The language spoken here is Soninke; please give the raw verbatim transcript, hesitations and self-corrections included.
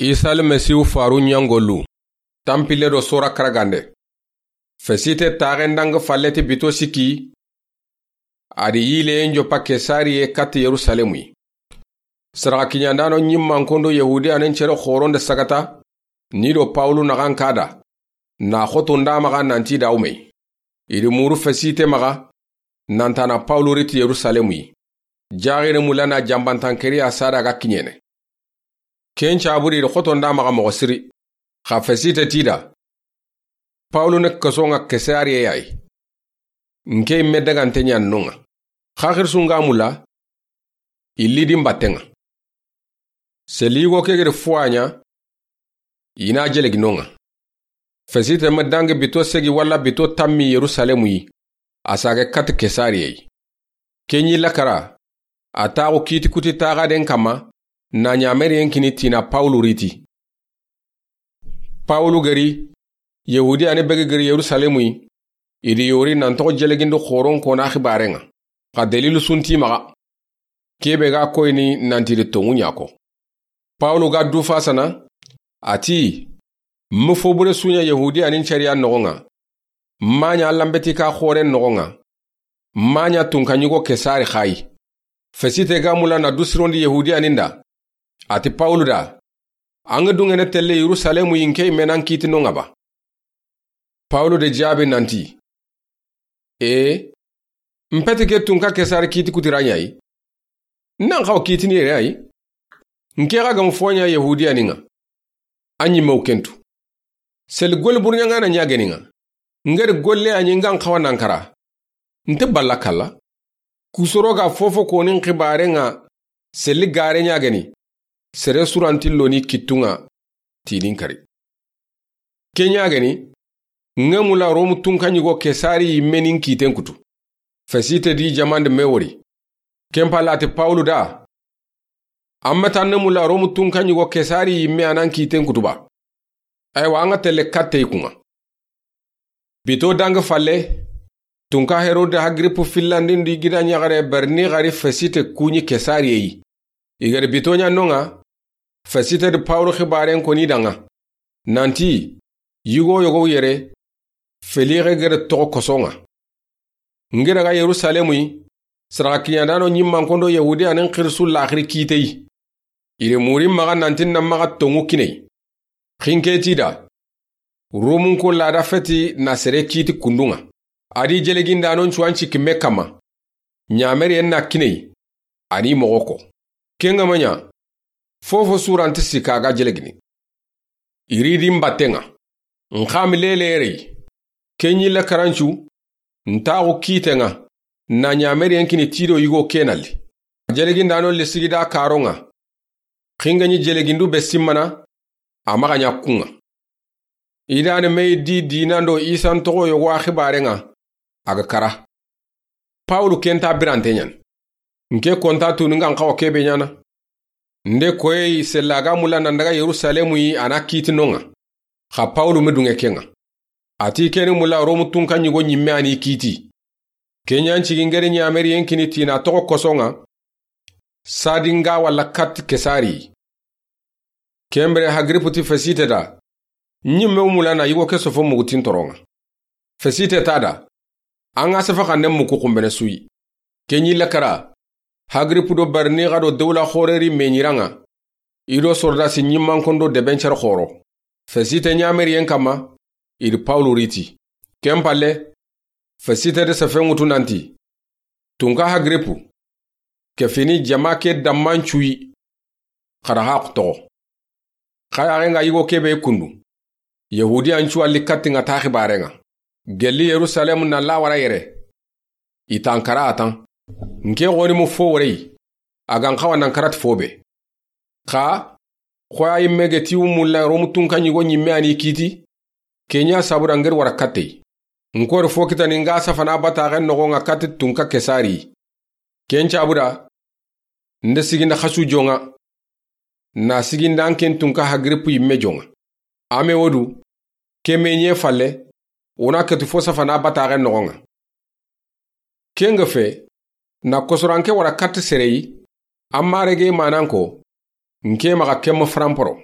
Isa Almasihu faru ɲangolu. Tanpille do sora karagande. Fesite taxendange falle ti bito sikki, a di yileyen joppa Kesariye katti Yerusalemuyi. Saraxa kiɲandano ɲimmankondo Yahudiyanen cere xoronde sagata, ni do Pawulu naxan kada, na xoto nda maxa nanti dawumey. I di muru Fesite maxa, nantana Pawulu riti Yerusalemuyi. Jaxire mula na jambantan keriya sada ga kiɲene. Ken caburi i di xoto nda maxa moxo siri. Xa Fesite ti da, Pawulu ne kaso ŋa Kesariye yayi. Nke i me dagante ɲa no ŋa. Xa xirisu nga mula, i li di n batte ŋa. Seli yigo ke giri fuwa ɲa, i na jelegi no ŋa. Fesite ma dangi bito segi walla bito tammi Yerusalemuyi, a sage katti Kesariyeyi. Ken ɲi lakara, a taxu kiti kuti taxaden kanma, na ɲameriyen kini tina Pawulu riti. Pawulu geri, Yahudiyani bege geri Yerusalemuyi, i di yori nan toxo jelegindu xoron kona xibaren ŋa. Xa delilu sunti maxa. Kebe ga koyini nanti i di tonŋu ɲa ko. Pawulu ga du fasana, a ti, n ma fobure su ɲa Yahudiyanin cariya noxon ŋa. N ma ɲa lanbeti ka xoren noxon ŋa. N ma ɲa tunka ɲigo Kesari xayi. Fesite ga mula na du sirondi Yahudiyanin da. A ti Pawulu da, an ga dungene telle Yerusalemuyi nke i me nan kiti no ŋa ba? Pawulu de jaabi nanti, ee, n peti ke tunka Kesari kiti kuti ra ɲayi. Nan xawa kitini yere ayi. Nke xa gam fo ɲa Yahudiyanin ŋa. A ɲi mew kentu. Seli goli burɲangana ɲa geni ŋa. Ngeri golle a ɲi ngan xawa nan kara. Nte balla kalla. Kusoro ga fofo konin xibaren ŋa seli gare ɲa geni. Sere suranti loni kittun ŋa tidin kari. Ke ɲa geni, nge mula Romu tunka ɲigo Kesari yimme nin kiten kutu. Fesite di jamande me wori. Ken pala ti Pawulu da, an ma tanne mula Romu tunka ɲigo Kesari yimme a nan kiten kutu ba? Aywa, an ga telle katte i kun ŋa. Bito dange falle, tunka Herode Hagiripu fillandin di gida ɲaxare Berni xari Fesite kuɲi Kesariyeyi. I gari bito ɲa no ŋa, Fesite di Pawulu xibaren koni da ŋa. Nanti, yigo yogo yere, Felixe gere toxo koso ŋa. Ngira ga Yerusalemuyi, saraxa kiɲandano ɲimmankondo Yahudiyanin xirisu laxiri kiteyi. I di muri maxa nanti na maxa tonŋu kineyi. Xinke ti da, Romunko lada feti na sere kiti kundun ŋa. A di jelegindanon cuwan cikki me kanma. Ɲameriyen na kineyi, a ni moxo ko. Ken ga ma ɲa, fofo suranti sika ga jelegini. I ri di n batte ŋa. N xa mi lele yere yi. Ken ɲi lakarancu, n taxu kite ŋa, na ɲameriyen kini tido yigo ke nalli. Jelegindano lisigi da karon ŋa. Xinga ɲi jelegindu be simmana, a maxa ɲa kun ŋa. I da ne me yi di dinando Isan toxo yogo a xibaren ŋa, a ga kara. Pawulu ken ta birante ɲani. Nke konta tunu ngan xawa kebe ɲana. Nde koyeyi sella ga mula nan daga Yerusalemuyi a na kiti no ŋa. Xa Pawulu me dunge ken ŋa. A ti keni mula Romu tunka ɲigo ɲimme a ni kiti. Ke ɲan cigi ngeri ɲameriyen kini tina toxo koso ŋa. Sadi nga walla katti Kesari. Ken bire Hagiripu ti Fesite da, ɲimme mula na yigo ke sofo mugutin toron ŋa. Fesite ta da, an ga sefa xannen muku xumbene suyi. Ken ɲi lakara, Hagiripu do Berni xa do dawla xoreri me ɲiran ŋa. I do sordasi ɲimmankondo deben cere xoro. Fesite ɲameriyen kanma, i di Pawulu riti. Ken palle, Fesite de sefen ŋutu nanti, tunka Hagiripu, ke fini jama ke damman cuyi, xara haqu toxo. Xa yaxen ga yigo kebe kundu, Yahudiyan cuwalli katti ŋa ta xibaren ŋa. Gelli Yerusalemu na lawara yere. I tan kara a tan. Nke xoni mu fo woreyi, a gan xawa nan karati fo be. Xa, xoya yimme ge ti wumulla Romu tunka ɲigo ɲimme a ni kiti, ke ɲa sabuda ngeri wara kattey. Nkori fo kitani nga safana bataxen noxon ŋa katti tunka Kesari. Ken cabuda, nde siginda xasu jonŋa, na siginda an ken tunka Hagiripu yimme jonŋa. Ame wodu, ke me ɲe falle, wona keti fo safana bataxen noxon ŋa. Ken ga fe, na kosoranke wara katti sereyi, amma rege manan ko, nke maxa kemma faramporo.